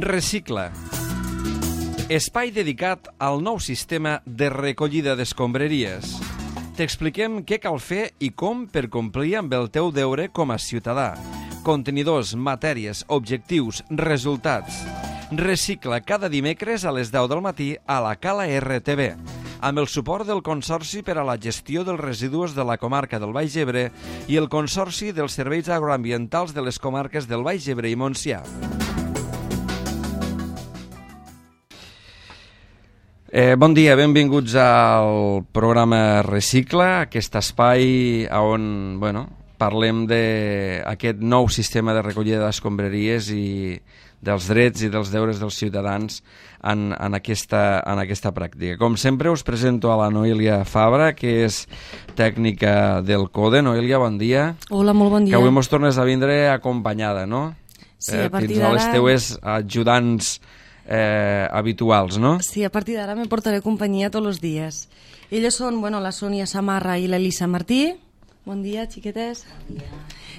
Recicla. Espai dedicat al nou sistema de recollida d'escombraries. T'expliquem què cal fer i com per complir amb el teu deure com a ciutadà. Contenidors, matèries, objectius, resultats. Recicla cada dimecres a les 10 del matí a la Cala RTV, amb el suport del Consorci per a la Gestió dels Residus de la Comarca del Baix Ebre i el Consorci dels Serveis Agroambientals de les Comarques del Baix Ebre i Montsià. Bon dia, benvinguts al programa Recicla, aquest espai on parlem d'aquest nou sistema de recollida d'escombraries i dels drets i dels deures dels ciutadans en aquesta pràctica. Com sempre us presento a la Noelia Fabra, que és tècnica del CODE. Noelia, bon dia. Hola, molt bon dia. Que avui mos tornes a vindre acompanyada, no? Sí, a partir d'ara... Tens a les teues ajudants habituals, no? Sí, a partir d'ara me portaré companyia tots els dies. Elles són, la Sònia Samarra i l'Elisa Martí. Bon dia, xiquetes. Bon dia.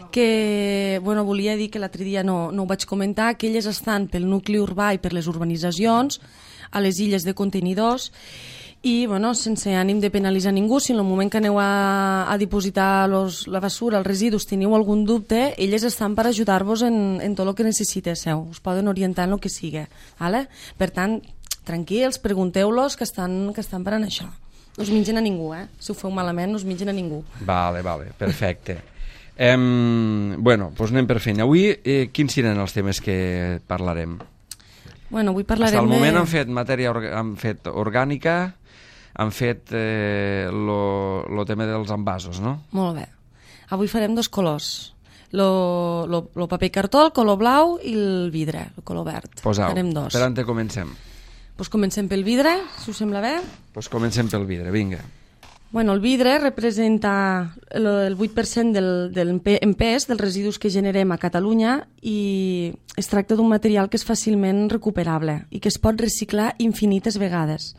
Que, volia dir que l'altre dia no ho vaig comentar, que elles estan pel nucli urbà i per les urbanitzacions, a les illes de contenidors, i, sense ànim de penalitzar ningú, si en el moment que aneu a dipositar la basura, els residus, teniu algun dubte, elles estan per ajudar-vos en tot el que necessiteu. Us poden orientar en el que sigui. Vale? Per tant, tranquils, pregunteu-los que estan per en això. No us mengen a ningú, Si ho feu malament, no us mengen a ningú. Vale, perfecte. Doncs anem per feina. Avui, quins seran els temes que parlarem? Avui parlarem Fins al moment han fet matèria orgànica, han fet el tema dels envasos, no? Molt bé. Avui farem dos colors. El paper cartó, el color blau, i el vidre, el color verd. Farem dos. Per on comencem? Comencem pel vidre, si us sembla bé. Comencem pel vidre, vinga. El vidre representa el 8% del pes dels residus que generem a Catalunya i es tracta d'un material que és fàcilment recuperable i que es pot reciclar infinites vegades,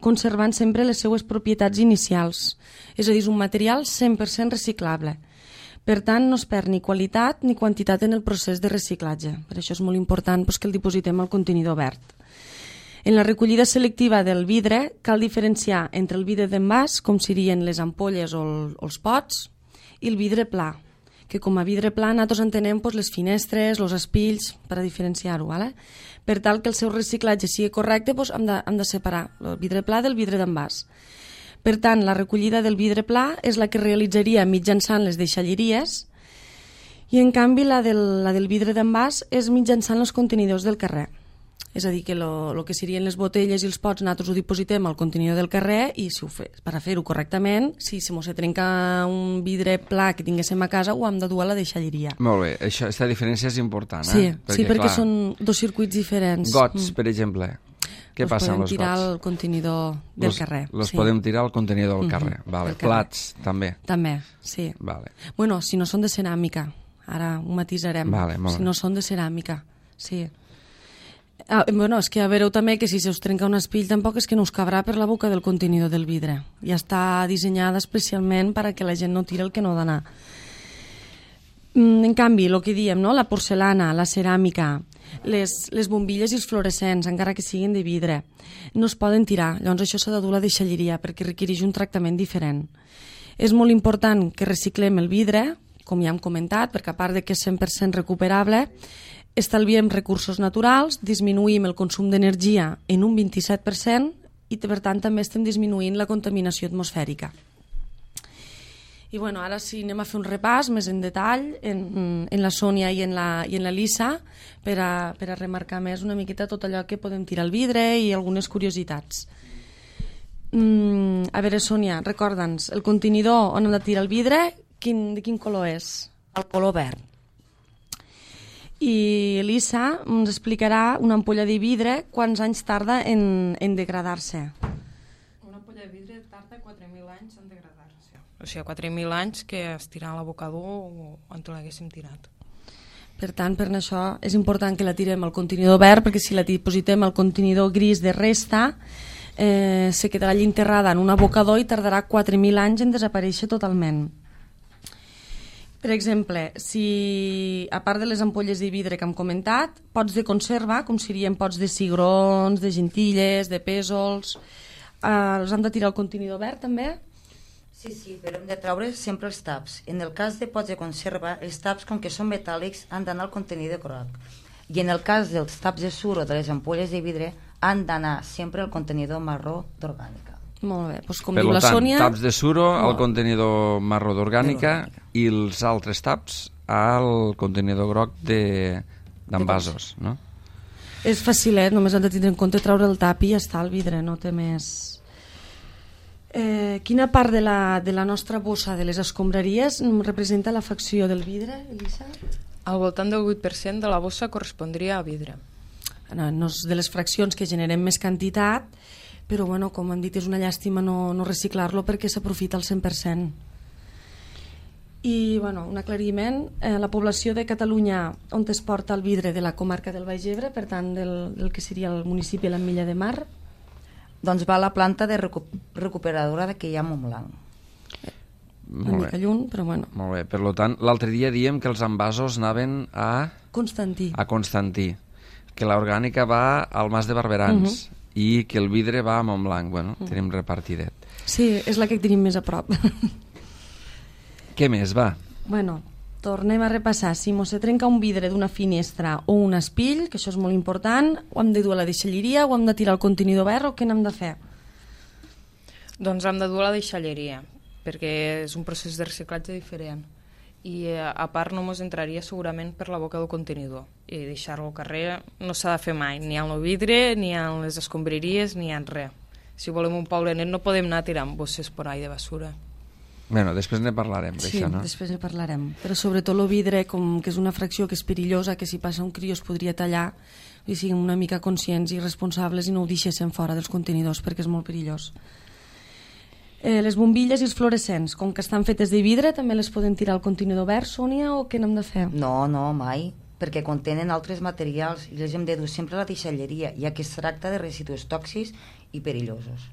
conservant sempre les seues propietats inicials. És a dir, és un material 100% reciclable. Per tant, no es perd ni qualitat ni quantitat en el procés de reciclatge. Per això és molt important que el dipositem al contenidor verd. En la recollida selectiva del vidre cal diferenciar entre el vidre d'envàs, com serien les ampolles o els pots, i el vidre pla, que com a vidre pla nosaltres entenem les finestres, els espills, per a diferenciar-ho. Per tal que el seu reciclatge sigui correcte, hem de separar el vidre pla del vidre d'envàs. Per tant, la recollida del vidre pla és la que realitzaria mitjançant les deixalleries i, en canvi, la del vidre d'envàs és mitjançant els contenidors del carrer. És a dir, que el que serien les botelles i els pots nosaltres ho dipositem al contenidor del carrer i per a fer-ho correctament, si mos se trenca un vidre pla que tinguéssim a casa, ho hem de dur a la deixalleria. Molt bé, aquesta diferència és important, Sí, perquè són dos circuits diferents. Gots, per exemple. Què passa amb els gots? Els podem tirar al contenidor del carrer. Els podem tirar al contenidor del carrer. Plats, també. També, sí. Si no són de ceràmica, ara ho matisarem. Si no són de ceràmica, sí. És que veureu també que si se us trenca un espill tampoc és que no us cabrà per la boca del contenidor del vidre. Ja està dissenyada especialment perquè la gent no tira el que no ha d'anar. En canvi, el que diem, la porcelana, la ceràmica, les bombilles i els fluorescents, encara que siguin de vidre, no es poden tirar. Llavors això s'ha de dur a la deixalleria perquè requereix un tractament diferent. És molt important que reciclem el vidre, com ja hem comentat, perquè a part de que és 100% recuperable, estalviem recursos naturals, disminuïm el consum d'energia en un 27% i, per tant, també estem disminuint la contaminació atmosfèrica. I ara sí, anem a fer un repàs més en detall en la Sònia i en la Lisa per a remarcar més una miqueta tot allò que podem tirar al vidre i algunes curiositats. A veure, Sònia, recorda'ns, el contenidor on hem de tirar el vidre, de quin color és? El color verd. I Elisa ens explicarà una ampolla de vidre quants anys tarda en degradar-se. Una ampolla de vidre tarda 4.000 anys en degradar-se. O sigui, 4.000 anys que es tirà a l'abocador on l'haguéssim tirat. Per tant, per això és important que la tirem al contenidor verd, perquè si la dipositem al contenidor gris de resta, se quedarà allà enterrada en un abocador i tardarà 4.000 anys en desaparèixer totalment. Per exemple, si a part de les ampolles de vidre que hem comentat, pots de conserva, com serien pots de cigrons, de gentilles, de pèsols, els hem de tirar al contenidor verd també? Sí, però hem de treure sempre els taps. En el cas de pots de conserva, els taps, com que són metàl·lics, han d'anar al contenidor groc. I en el cas dels taps de suro de les ampolles de vidre, han d'anar sempre al contenidor marró d'orgànica. Molt bé, doncs com Per diu la tant, Sònia... taps de suro al contenidor marró d'orgànica i els altres taps al contenidor groc d'envasos, no? És facilet, només han de tindre en compte treure el tap i ja està el vidre, no té més... quina part de la nostra bossa de les escombraries representa la facció del vidre, Elisa? Al voltant del 8% de la bossa correspondria a vidre. No és de les fraccions que generem més quantitat, però bueno, com hem dit, és una llàstima no reciclar-lo perquè s'aprofita al 100%. I bueno, un aclariment, la població de Catalunya on es porta el vidre de la comarca del Baix Ebre, per tant del que seria el municipi de l'Ametlla de Mar, Doncs va a la planta de recuperadora que hi ha a Montblanc. una mica lluny, però bueno. Molt bé, per tant, l'altre dia diem que els envasos anaven a Constantí. Que l'orgànica va al Mas de Barberans i que el vidre va a Montblanc. Bueno, tenim repartidet. Sí, és la que tenim més a prop. Què més, va? Bueno, tornem a repassar. Si mos se trenca un vidre d'una finestra o un espill, que això és molt important, ho hem de dur a la deixalleria, ho hem de tirar al contenidor verd o què n'hem de fer? Doncs hem de dur a la deixalleria, perquè és un procés de reciclatge diferent. I a part no ens entraria segurament per la boca del contenidor. I deixar-lo al carrer no s'ha de fer mai, ni en el vidre, ni en les escombraries, ni en res. Si volem un poble net no podem anar tirant bosses por ahí de basura. Bueno, després ne parlarem d'això, no? Sí, després ne parlarem. Però sobretot el vidre, com que és una fracció que és perillosa, que si passa un crió es podria tallar, i siguem una mica conscients i responsables i no ho deixéssim fora dels contenidors perquè és molt perillós. Les bombilles i els fluorescents, com que estan fetes de vidre, també les podem tirar al contenidor verd, Sònia, o què n'hem de fer? No, mai, perquè contenen altres materials i les hem de dur sempre a la deixalleria, ja que es tracta de residus tòxics i perillosos.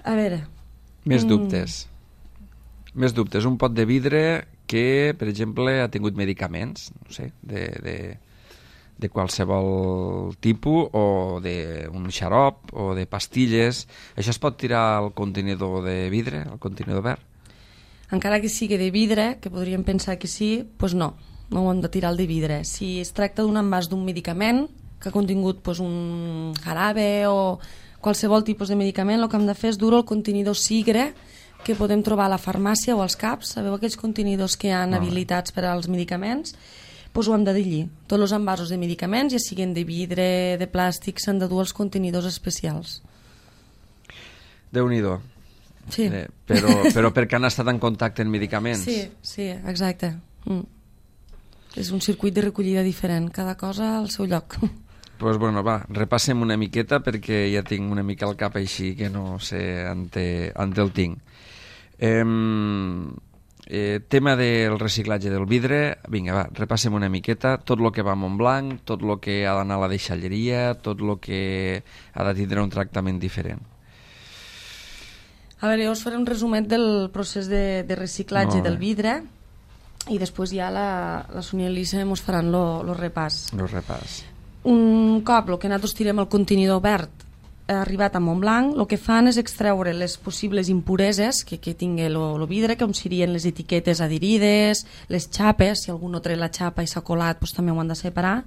A veure... Més dubtes. Més dubtes. Un pot de vidre que, per exemple, ha tingut medicaments, no sé, de qualsevol tipus, o d'un xarop, o de pastilles. Això es pot tirar al contenidor de vidre, al contenidor verd? Encara que sigui de vidre, que podríem pensar que sí, doncs no ho hem de tirar al de vidre. Si es tracta d'un envàs d'un medicament que ha contingut un jarabe o qualsevol tipus de medicament, el que hem de fer és dur el contenidor sigre que podem trobar a la farmàcia o als CAPs. Sabeu aquells contenidors que hi ha habilitats per als medicaments? Doncs ho hem de dir. Tots els envasos de medicaments, ja siguin de vidre, de plàstic, s'han de dur als contenidors especials. Déu-n'hi-do. Sí. Però perquè han estat en contacte amb medicaments. Sí, exacte. És un circuit de recollida diferent, cada cosa al seu lloc. Doncs bueno, va, repassem una miqueta perquè ja tinc una mica al cap així que no sé on el tinc. Tema del reciclatge del vidre, vinga, va, repassem una miqueta tot el que va a Montblanc, tot el que ha d'anar a la deixalleria, tot el que ha de tindre un tractament diferent. A veure, jo us faré un resumet del procés de reciclatge del vidre i després ja la Sònia i Elisa ens faran el repàs. El repàs. Un cop el que nosaltres tirem al contenidor verd ha arribat a Montblanc, el que fan és extreure les possibles impureses que tingui el vidre, com serien les etiquetes adherides, les xapes, si algú no treu la xapa i s'ha colat, doncs també ho han de separar.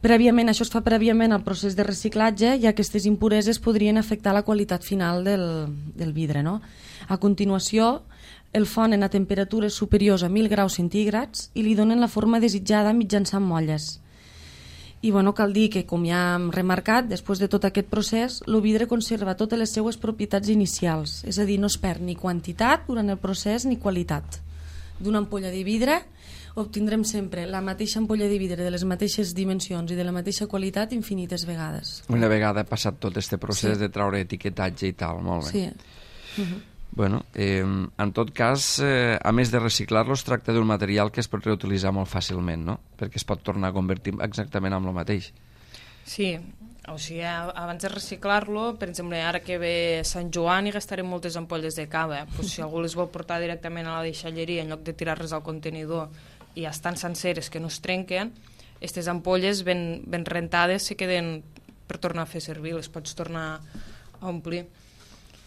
Prèviament, això es fa prèviament al procés de reciclatge i aquestes impureses podrien afectar la qualitat final del vidre, no? A continuació, el fonen a temperatures superiors a 1.000 graus centígrads i li donen la forma desitjada mitjançant molles. I bueno, cal dir que, com ja hem remarcat, després de tot aquest procés, el vidre conserva totes les seues propietats inicials, és a dir, no es perd ni quantitat durant el procés ni qualitat. D'una ampolla de vidre obtindrem sempre la mateixa ampolla de vidre de les mateixes dimensions i de la mateixa qualitat infinites vegades. Una vegada ha passat tot aquest procés de treure etiquetatge i tal, molt bé. Sí. Bueno, en tot cas, a més de reciclar-lo, es tracta d'un material que es pot reutilitzar molt fàcilment, no? Perquè es pot tornar a convertir exactament en el mateix. Sí, O sigui, abans de reciclar-lo, per exemple, ara que ve Sant Joan i gastarem moltes ampolles de cava, doncs si algú les vol portar directament a la deixalleria en lloc de tirar-les al contenidor i ja estan senceres que no es trenquen, aquestes ampolles ben rentades se queden per tornar a fer servir, les pots tornar a omplir.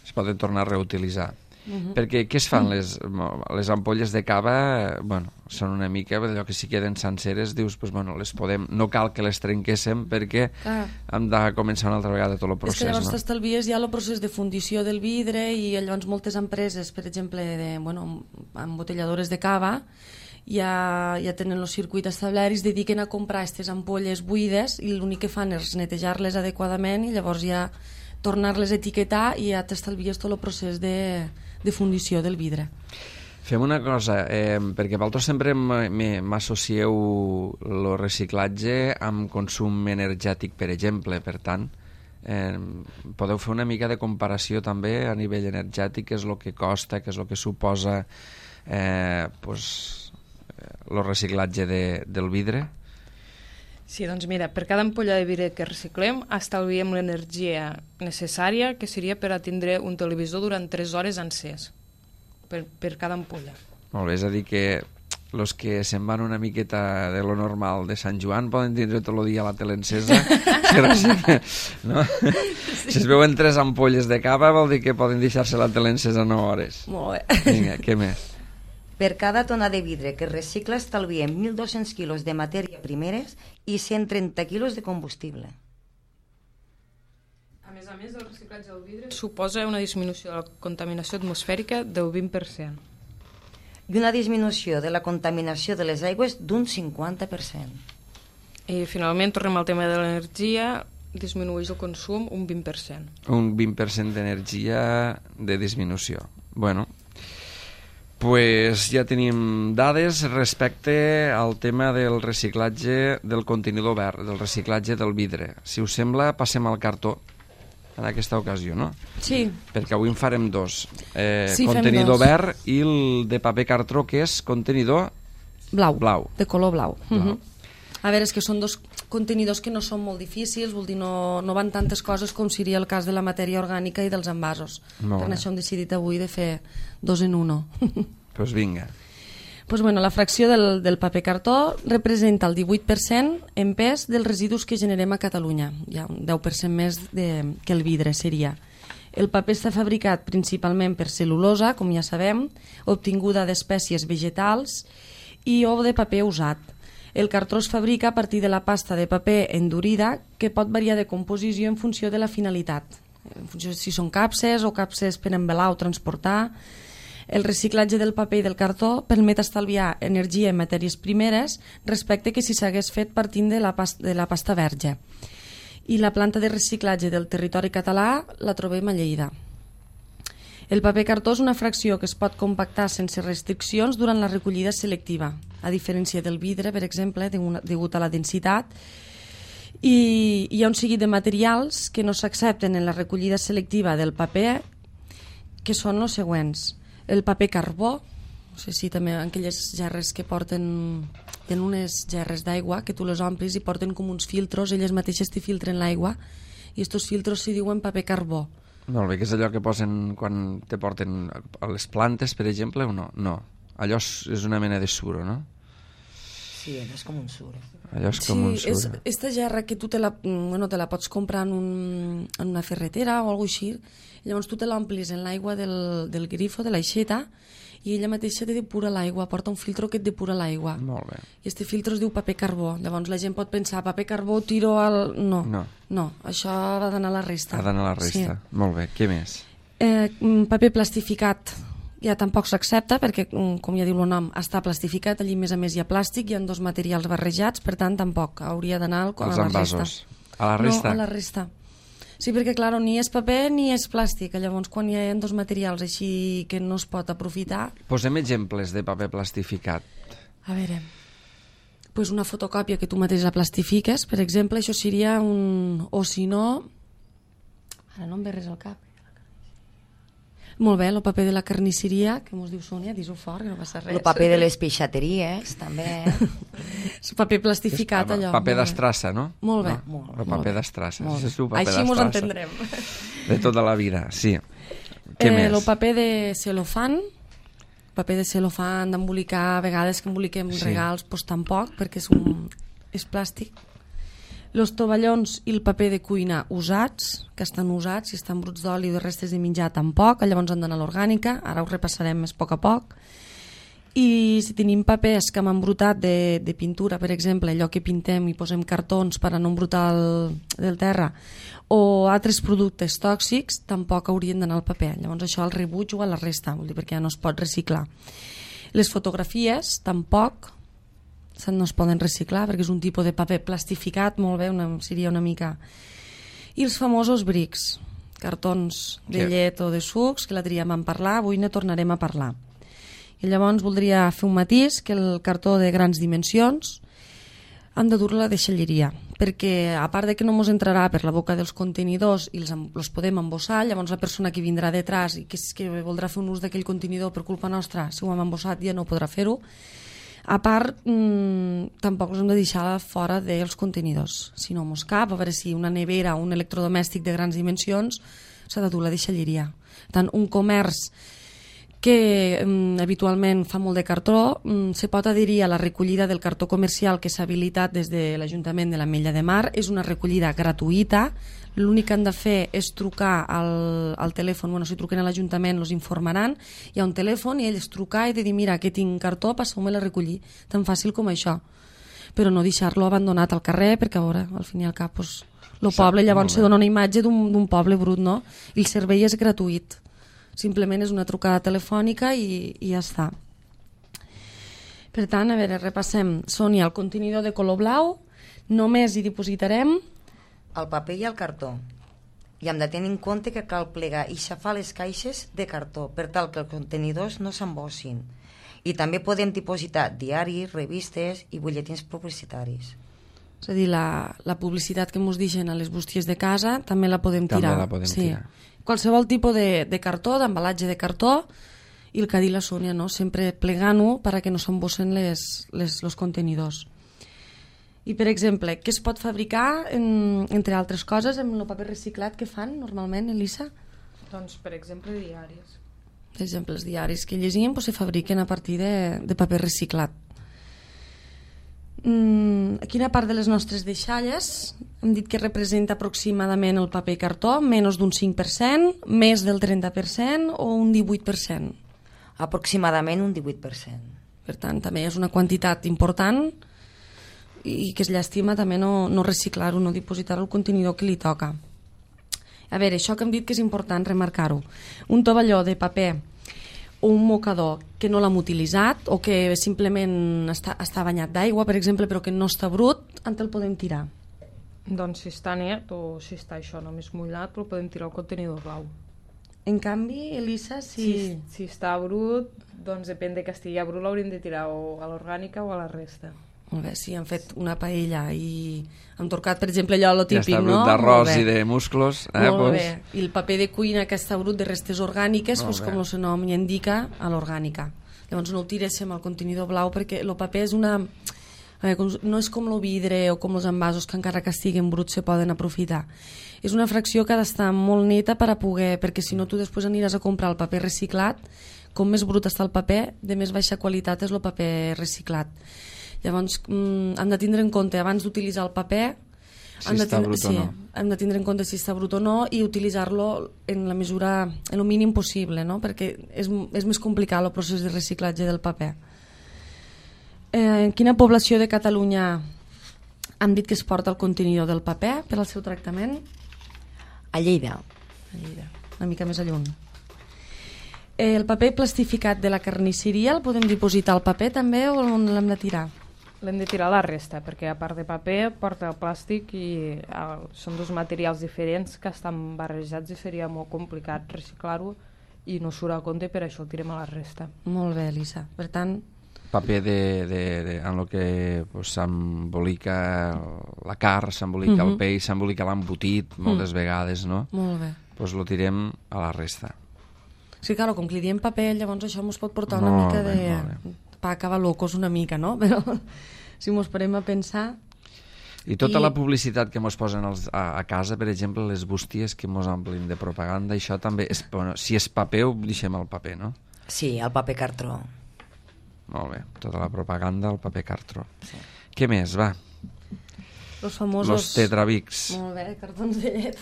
Es poden tornar a reutilitzar. Perquè què es fan les ampolles de cava? Bueno, són una mica allò que si queden senceres, dius, pues, bueno, les podem, no cal que les trenquéssim perquè hem de començar una altra vegada tot el procés. És que llavors t'estalvies ja el procés de fundició del vidre i llavors moltes empreses, per exemple, embotelladores de cava, ja tenen el circuit establert i es dediquen a comprar aquestes ampolles buides i l'únic que fan és netejar-les adequadament i llavors ja tornar-les a etiquetar i ja t'estalvies tot el procés de fundició del vidre. Fem una cosa, perquè vosaltres sempre m'associeu el reciclatge amb consum energètic, per exemple, per tant, podeu fer una mica de comparació també a nivell energètic, què és el que costa, què és el que suposa el reciclatge del vidre? Sí, doncs mira, per cada ampolla de vidre que reciclem estalviem l'energia necessària que seria per atendre un televisor durant 3 hores encès per cada ampolla. Molt bé, és a dir que els que se'n van una miqueta de lo normal de Sant Joan poden tindre tot el dia la tele encesa no? Sí. Si es veuen 3 ampolles de cava vol dir que poden deixar-se la tele encesa 9 hores. Molt bé. Vinga, què més? Per cada tona de vidre que es recicla estalviem 1.200 quilos de matèria primeres i 130 quilos de combustible. A més, el reciclatge del vidre suposa una disminució de la contaminació atmosfèrica del 20%. I una disminució de la contaminació de les aigües d'un 50%. I finalment, tornem al tema de l'energia, disminueix el consum un 20%. Un 20% d'energia de disminució. Bueno, pues ja tenim dades respecte al tema del reciclatge del contenidor verd, del reciclatge del vidre. Si us sembla, passem al cartó en aquesta ocasió, no? Sí. Perquè avui en farem 2. Sí, contenidor fem 2. verd i el de paper cartró, que és contenidor blau. De color blau. A veure, és que són 2 contenidors que no són molt difícils, vol dir, no van tantes coses com seria el cas de la matèria orgànica i dels envasos. Per això hem decidit avui de fer 2 en 1. Doncs vinga. Pues bueno, la fracció del paper cartó representa el 18% en pes dels residus que generem a Catalunya. Hi ha un 10% més que el vidre seria. El paper està fabricat principalment per cel·lulosa, com ja sabem, obtinguda d'espècies vegetals i o de paper usat. El cartró es fabrica a partir de la pasta de paper endurida que pot variar de composició en funció de la finalitat. En funció si són capses o capses per envelar o transportar. El reciclatge del paper i del cartó permet estalviar energia i matèries primeres respecte que si s'hagués fet partint de la pasta verge. I la planta de reciclatge del territori català la trobem a Lleida. El paper cartó és una fracció que es pot compactar sense restriccions durant la recollida selectiva, a diferència del vidre, per exemple, degut a la densitat. I hi ha un seguit de materials que no s'accepten en la recollida selectiva del paper, que són els següents. El paper carbó, no sé si també aquelles gerres que porten en unes gerres d'aigua, que tu les omplis i porten com uns filtros, elles mateixes t'hi filtren l'aigua, i aquests filtros s'hi diuen paper carbó. Molt bé, que és allò que posen quan te porten a les plantes, per exemple, o no? No, allò és una mena de suro, no? Sí, és com un suro. Allò és com un suro. Sí, és esta gerra que tu te la pots comprar en una ferretera o alguna cosa així, llavors tu te l'omplis en l'aigua del grifo, de l'aixeta, i ella mateixa te depura l'aigua, porta un filtro que et depura l'aigua. Molt bé. I este filtro es diu paper carbó. Llavors la gent pot pensar, paper carbó tiro al... No, això ha d'anar a la resta. Ha d'anar a la resta. Sí. Molt bé, què més? Paper plastificat ja tampoc s'accepta perquè, com ja diu el nom, està plastificat, allí més a més hi ha plàstic, hi ha 2 materials barrejats, per tant tampoc hauria d'anar a la resta. A la resta? No, a la resta. Sí, perquè, clar, ni és paper ni és plàstic. Llavors, quan hi ha 2 materials així que no es pot aprofitar... Posem exemples de paper plastificat. A veure, pues una fotocòpia que tu mateix la plastifiques, per exemple, això seria un... O si no... Ara no em ve res al cap. Molt bé, el paper de la carnisseria, que mos diu Sònia, dis-ho fort, que no passa res. El paper de les peixateries, també. El paper plastificat, allò. Paper d'estrassa, no? Molt bé. No? El paper d'estrassa. Així mos entendrem. De tota la vida, sí. Què més? El paper de celofan, d'embolicar, a vegades que emboliquem regals, doncs tampoc, perquè és plàstic. Els tovallons i el paper de cuina usats, que estan usats, si estan bruts d'oli o de restes de menjar tampoc, llavors han d'anar a l'orgànica, ara ho repassarem més a poc a poc. I si tenim papers que hem embrutat de pintura, per exemple, allò que pintem i posem cartons per a no embrutar del terra, o altres productes tòxics, tampoc haurien d'anar al paper. Llavors això al rebuig o a la resta, vol dir, perquè ja no es pot reciclar. Les fotografies tampoc no es poden reciclar perquè és un tipus de paper plastificat, molt bé, seria una mica. I els famosos brics, cartons de llet o de sucs, que l'altre dia vam parlar, avui ne tornarem a parlar. I llavors voldria fer un matís, que el cartó de grans dimensions han de dur la deixalleria, perquè a part de que no ens entrarà per la boca dels contenidors i els podem embossar, llavors la persona que vindrà detrás i que voldrà fer un ús d'aquell contenidor per culpa nostra, si ho hem embossat ja no podrà fer-ho. A part, tampoc els hem de deixar fora dels contenidors. Si no mos cap, a veure si una nevera o un electrodomèstic de grans dimensions s'ha de dur la deixalleria. Tant un comerç que habitualment fa molt de cartó, se pot adherir a la recollida del cartó comercial que s'ha habilitat des de l'Ajuntament de l'Ametlla de Mar. És una recollida gratuïta. L'únic que han de fer és trucar al telèfon, si truquen a l'Ajuntament els informaran, hi ha un telèfon i ells trucar i de dir, mira, que tinc cartó, passeu-me-la a recollir, tan fàcil com això, però no deixar-lo abandonat al carrer, perquè a veure, al fin i al cap el poble llavors se dona una imatge d'un poble brut, no? I el servei és gratuït, simplement és una trucada telefònica i ja està. Per tant, a veure, repassem. Sònia, el contenidor de color blau, només hi dipositarem el paper i el cartó. I hem de tenir en compte que cal plegar i xafar les caixes de cartó per tal que els contenidors no s'embossin. I també podem dipositar diaris, revistes i butlletins publicitaris. És a dir, la publicitat que ens deixen a les bústies de casa també la podem tirar. També la podem tirar. Qualsevol tipus de cartó, d'embalatge de cartó, i el que ha dit la Sònia, no? Sempre plegant-ho perquè no s'embossen els contenidors. I, per exemple, què es pot fabricar, entre altres coses, amb el paper reciclat que fan normalment, Elisa? Doncs, per exemple, diaris. Per exemple, els diaris que llegim se fabriquen a partir de paper reciclat. A quina part de les nostres deixalles hem dit que representa aproximadament el paper i cartó? Menys d'un 5%, més del 30% o un 18%? Aproximadament un 18%. Per tant, també és una quantitat important i que es llàstima també no reciclar-ho, no dipositar-ho al contenidor que li toca. A veure, això que hem dit que és important remarcar-ho. Un tovalló de paper o un mocador que no l'hem utilitzat o que simplement està banyat d'aigua, per exemple, però que no està brut, on el podem tirar? Doncs si està net o si està això només mullat, el podem tirar al contenidor blau. En canvi, Elisa, si està brut, doncs depèn de que estigui brut, l'hauríem de tirar o a l'orgànica o a la resta. Molt bé, si han fet una paella i han torcat, per exemple, allò lo típic, ja està brut, no? D'arròs i de musclos. Molt bé. I el paper de cuina que està brut de restes orgàniques, com el seu nom indica, a l'orgànica. Llavors no ho tiréssim al contenidor blau perquè el paper és una... no és com el vidre o com els envasos que encara que estiguen bruts se poden aprofitar. És una fracció que ha d'estar molt neta perquè si no tu després aniràs a comprar el paper reciclat, com més brut està el paper, de més baixa qualitat és el paper reciclat. Llavors hem de tindre en compte abans d'utilitzar el paper si està brut o no. Hem de tindre en compte si està brut o no i utilitzar-lo en la mesura, en el mínim possible, no? Perquè és més complicat el procés de reciclatge del paper. En quina població de Catalunya hem dit que es porta el contenidor del paper per al seu tractament? A Lleida. Una mica més a lluny. El paper plastificat de la carnisseria el podem dipositar al paper també o l'hem de tirar? L'hem de tirar a la resta, perquè a part de paper porta el plàstic i són dos materials diferents que estan barrejats i seria molt complicat reciclar-ho i no surt a compte, per això el tirem a la resta. Molt bé, Elisa. Per tant... Paper en el que s'embolica la carn, s'embolica el peix, s'embolica l'embotit moltes vegades, no? Molt bé. Doncs lo tirem a la resta. Sí, claro, com que li diem paper, llavors això ens pot portar una Molt mica bé, de... molt bé. Pa acabar locos una mica, no? Però si mos parem a pensar... I tota la publicitat que mos posen a casa, per exemple, les bústies que mos omplin de propaganda, això també... Bueno, si és paper, ho deixem al paper, no? Sí, el paper cartró. Molt bé, tota la propaganda al paper cartró. Sí. Què més, va? Los famosos... Los tetrabics. Molt bé, cartons de llet.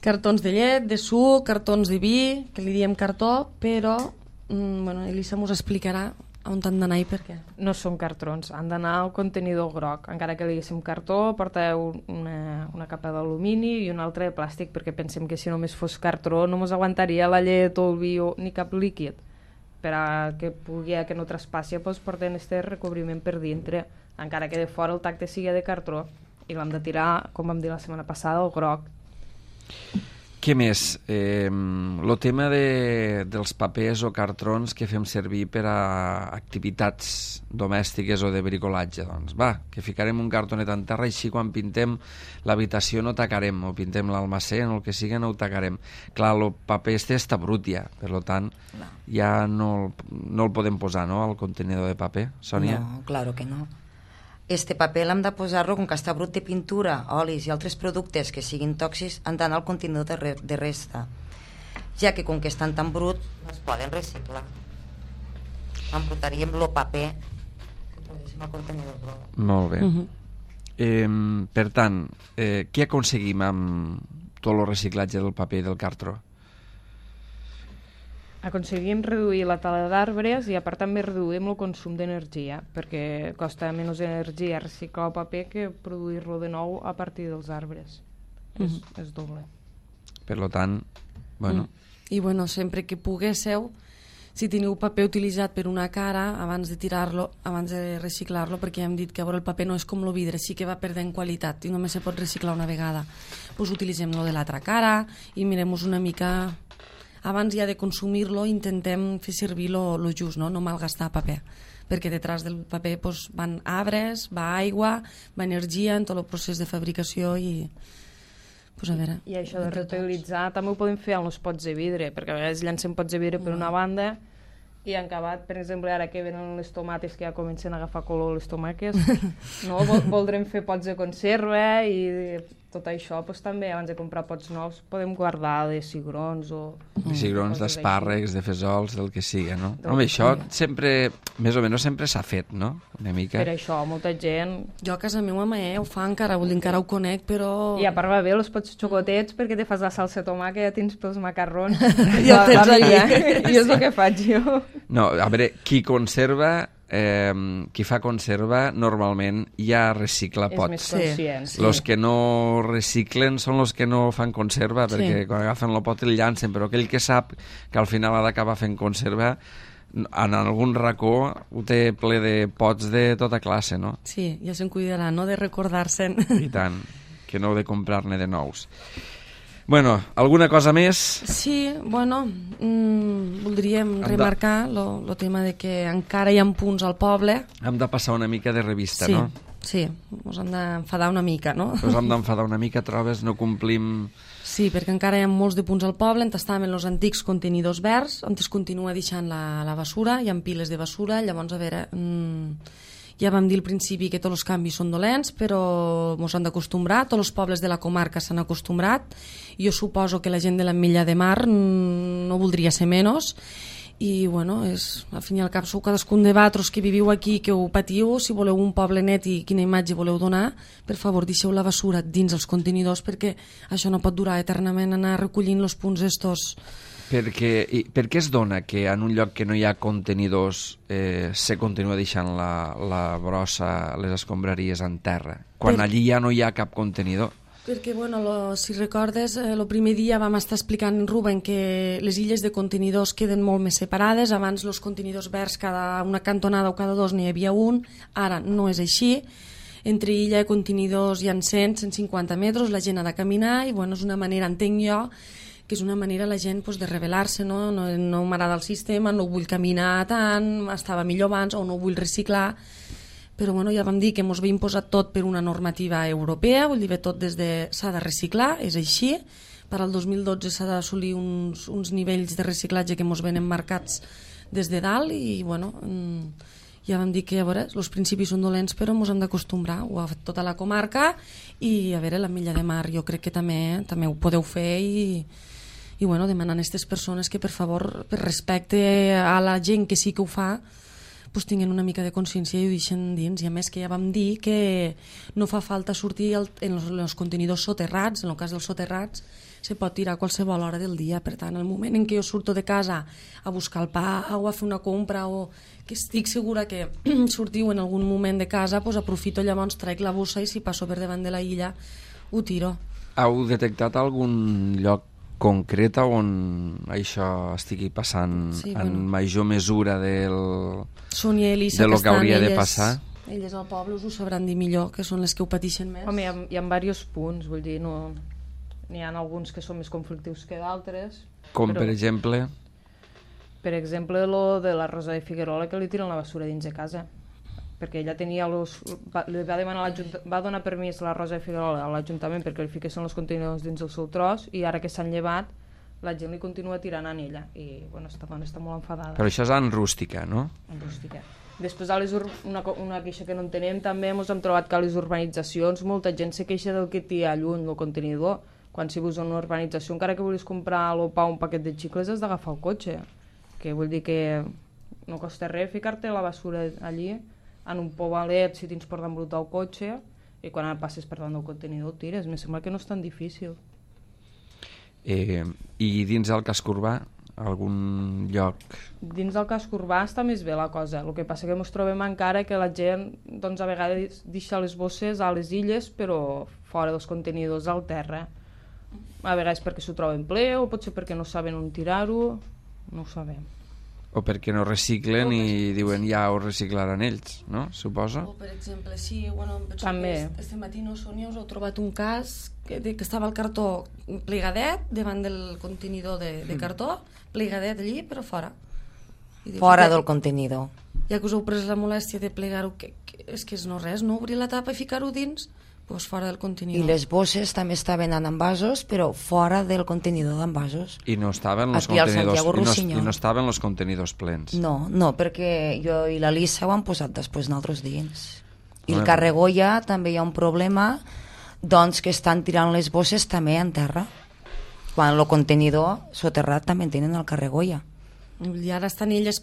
Cartons de llet, de suc, cartons de vi, que li diem cartó, però bueno, Elisa mos explicarà on han d'anar i per què. No són cartrons, han d'anar al contenidor groc. Encara que li diguéssim cartó, porteu una capa d'alumini i una altra de plàstic, perquè pensem que si només fos cartró no ens aguantaria la llet o el vi ni cap líquid. Per a que pugui que no traspassi, doncs porten este recobriment per dintre, encara que de fora el tacte sigui de cartró, i l'hem de tirar, com vam dir la setmana passada, al groc. Què més? El tema dels papers o cartrons que fem servir per a activitats domèstiques o de bricolatge, doncs va, que ficarem un cartonet en terra i així quan pintem l'habitació no tacarem, o pintem l'almacén o el que sigui no ho tacarem. Clar, el paper està brut ja, per tant ja no el podem posar, no?, al contenidor de paper, Sònia? No, claro que no. Este paper l'hem de posar-lo, com que està brut de pintura, olis i altres productes que siguin tòxics, han d'anar al contenidor de resta, ja que com que estan tan brut no es poden reciclar. Embrutaríem el paper que poséssim al contenidor groc. Molt bé. Per tant, què aconseguim amb tot el reciclatge del paper i del cartró? Aconseguim reduir la tala d'arbres i a part també reduïm el consum d'energia, perquè costa menys energia reciclar el paper que produir-lo de nou a partir dels arbres. És doble. Per tant, bueno... I bueno, sempre que poguésseu, si teniu paper utilitzat per una cara, abans de tirar-lo, abans de reciclar-lo, perquè ja hem dit que el paper no és com el vidre, sí que va perdent qualitat i només se pot reciclar una vegada. Doncs utilitzem-lo de l'altra cara i mirem-nos una mica... Abans ja de consumir-lo intentem fer servir lo just, no malgastar paper, perquè detrás del paper doncs, van arbres, va aigua, va energia en tot el procés de fabricació i... Pues a veure, I això de reutilitzar també ho podem fer amb els pots de vidre, perquè a vegades llancem pots de vidre per una banda i han acabat, per exemple, ara que venen les tomates que ja comencen a agafar color les tomaques, no? Voldrem fer pots de conserva i tot això doncs, també, abans de comprar pots nous, podem guardar de cigrons o... De cigrons, d'espàrrecs, de fesols, del que sigui, no? Home, això sempre, més o menys sempre s'ha fet, no? Una mica. Per això, molta gent... jo a casa meva ho fa encara, vull dir, encara ho conec, però... I a part va bé els pots xocotets perquè te fas la salsa de tomàquet, ja tens pels macarrons. Ja tens allà. I és el que faig jo. No, a veure, qui conserva... qui fa conserva normalment ja recicla pots. És més conscient. Sí. Los que no reciclen són los que no fan conserva, perquè quan agafen el pot el llancen, però aquell que sap que al final ha d'acabar fent conserva, en algun racó ho té ple de pots de tota classe, no? Sí, ja se'n cuidarà, no?, de recordar-se'n. I tant, que no heu de comprar-ne de nous. Bueno, alguna cosa més? Sí, bueno, voldríem remarcar el tema de que encara hi ha punts al poble. Hem de passar una mica de revista, Sí, no? sí, ens hem d'enfadar una mica, no? Ens hem d'enfadar una mica, trobes? No complim... Sí, perquè encara hi ha molts de punts al poble on estaven els antics contenidors verds, on es continua deixant la basura, hi ha piles de basura, llavors, a veure... ja vam dir al principi que tots els canvis són dolents, però ens han d'acostumbrar, tots els pobles de la comarca s'han acostumbrat, jo suposo que la gent de l'Ametlla de Mar no voldria ser menys, i bueno, al fin i al cap sou cadascun de vosaltres que viviu aquí, que ho patiu, si voleu un poble net i quina imatge voleu donar, per favor deixeu la basura dins els contenidors, perquè això no pot durar eternament, anar recollint els punts estos. Per què es dona que en un lloc que no hi ha contenidors se continua deixant la brossa, les escombraries en terra, quan allí ja no hi ha cap contenidor? Perquè, bueno, si recordes, el primer dia vam estar explicant, Rubén, que les illes de contenidors queden molt més separades. Abans els contenidors verds cada una cantonada o cada dos n'hi havia un, ara no és així. Entre illa i contenidors hi ha 100-150 metres, la gent ha de caminar i bueno, és una manera, entenc jo, que és una manera la gent pues, de rebel·lar-se, no m'agrada el sistema, no vull caminar tant, estava millor abans o no vull reciclar, però bueno, ja vam dir que ens ve imposat tot per una normativa europea, vull dir, tot des de s'ha de reciclar, és així, per al 2012 s'ha d'assolir uns nivells de reciclatge que ens venen marcats des de dalt i bueno, ja vam dir que a veure, els principis són dolents però ens hem d'acostumbrar, ho ha fet tota la comarca i a veure, l'Ametlla de Mar jo crec que també ho podeu fer i bueno, demanant a aquestes persones que per favor, per respecte a la gent que sí que ho fa, pues tinguin una mica de consciència i ho deixen dins. I a més que ja vam dir que no fa falta sortir en els contenidors soterrats, en el cas dels soterrats se pot tirar a qualsevol hora del dia. Per tant, el moment en què jo surto de casa a buscar el pa o a fer una compra o que estic segura que sortiu en algun moment de casa, pues aprofito llavors, traic la bossa i si passo per davant de la illa ho tiro. Heu detectat algun lloc concreta on això estigui passant en major mesura Sònia i Elisa, de lo que hauria de passar? Elles al poble us ho sabran dir millor, que són les que ho pateixen més. Home, hi ha diversos punts, vull dir, no, n'hi ha alguns que són més conflictius que d'altres. Com per exemple? Per exemple, lo de la Rosa de Figuerola, que li tiren la basura dins de casa. Perquè ella tenia li va demanar va donar permís a la Rosa de Figuerola a l'Ajuntament perquè li fiquessin els contenidors dins el seu tros i ara que s'han llevat la gent li continua tirant en ella i bueno, esta dona està molt enfadada. Però això és en rústica, no? En rústica. Després una queixa que no entenem també ens hem trobat que a les urbanitzacions molta gent se queixa del que té lluny el contenidor, quan si vius en una urbanització encara que vulguis comprar el pa o un paquet de xicles has d'agafar el cotxe, que vull dir que no costa res ficar-te la basura allí en un pobalet si tens per d'embrutar el cotxe i quan passes per davant del contenidor el tires. Me sembla que no és tan difícil. I dins del casc urbà, algun lloc? Dins del casc urbà està més bé la cosa. El que passa que ens trobem encara que la gent doncs, a vegades deixa les bosses a les illes però fora dels contenidors al terra. A vegades perquè s'ho troben ple o potser perquè no saben on tirar-ho, no ho sabem. O perquè no reciclen i diuen ja ho reciclaran ells, no? Suposo? O per exemple, sí, bueno, també. Este matí, no, Sònia, us heu trobat un cas que estava el cartó plegadet davant del contenidor de cartó, plegadet allí, però fora. Fora del contenidor. Ja que us heu pres la molèstia de plegar-ho, és que és no res, no? Obrir la tapa i ficar-ho dins, doncs fora del contenidor. I les bosses també estaven en envasos, però fora del contenidor d'envasos. I no estaven els contenidors plens. No, perquè jo i la Lisa ho han posat després nosaltres dins. I el Carregoia també hi ha un problema, doncs que estan tirant les bosses també en terra. Quan el contenidor soterrat també tenen el Carregoia. I ara estan elles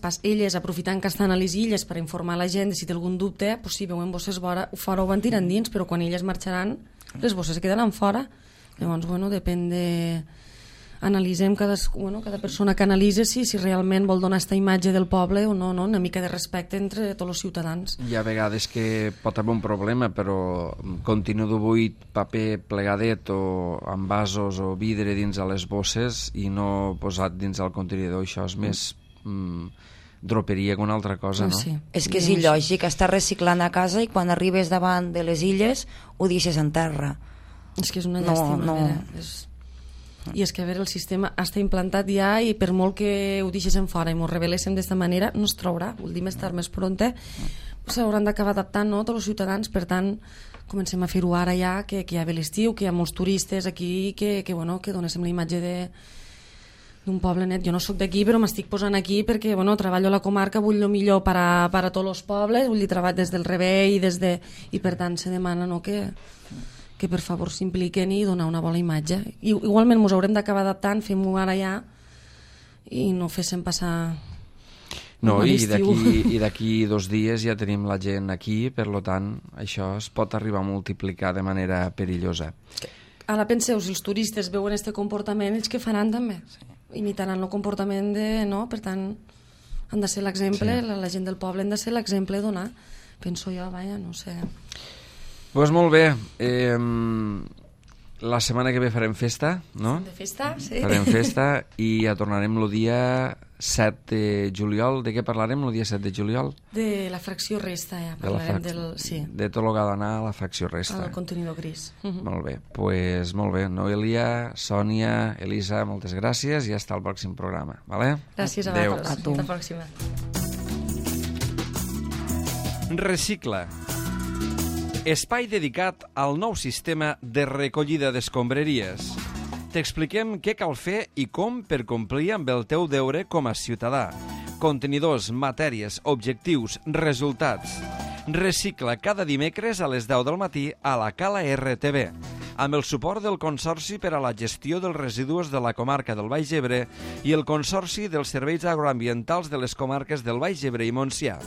aprofitant que estan a les illes per informar la gent si té algun dubte, doncs si veuen bosses fora ho van tirant dins, però quan elles marxaran les bosses quedaran fora. Llavors, bueno, depèn de... Analitzem cada persona que analitza si realment vol donar aquesta imatge del poble o no, una mica de respecte entre tots els ciutadans. Hi ha vegades que pot haver un problema, però continu buit, paper plegadet o envasos o vidre dins a les bosses i no posat dins del contenidor, això és més droperia que una altra cosa, no? Sí. És que és il·lògic, estàs reciclant a casa i quan arribes davant de les illes ho deixes en terra. És que és una llàstima. I és que a veure, el sistema està implantat ja i per molt que ho deixéssim fora i ens reveléssim d'esta manera no es traurà, vol dir més tard més pronte s'hauran d'acabar adaptant, no, tots els ciutadans. Per tant, comencem a fer-ho ara ja, que ja ve l'estiu, que hi ha molts turistes aquí, que donéssim la imatge d'un poble net. Jo no sóc d'aquí, però m'estic posant aquí perquè treballo a la comarca, vull el millor per a tots els pobles, vull dir, treballar des del rebell i per tant se demana, no, que per favor s'impliquen i donar una bona imatge. Igualment ens haurem d'acabar adaptant, fem-ho ara ja i no féssim passar no, i d'aquí 2 dies ja tenim la gent aquí, per tant això es pot arribar a multiplicar de manera perillosa. Ara penseu, si els turistes veuen aquest comportament, ells què faran també? Imitaran el comportament per tant han de ser l'exemple, la gent del poble han de ser l'exemple a donar, penso jo, no sé. Doncs molt bé, la setmana que ve farem festa, no? De festa, sí. Farem festa i ja tornarem el dia 7 de juliol. De què parlarem el dia 7 de juliol? De la fracció resta, ja parlarem de tot el que ha d'anar a la fracció resta. Al contenidor gris. Molt bé, doncs molt bé. Noelia, Sònia, Elisa, moltes gràcies i hasta el pròxim programa. Vale? Gràcies a vosaltres. A tu. Fins la pròxima. Recicla. Espai dedicat al nou sistema de recollida d'escombraries. T'expliquem què cal fer i com per complir amb el teu deure com a ciutadà. Contenidors, matèries, objectius, resultats. Recicla cada dimecres a les 10 del matí a la Cala RTV, amb el suport del Consorci per a la Gestió dels Residus de la comarca del Baix Ebre i el Consorci dels Serveis Agroambientals de les comarques del Baix Ebre i Montsià.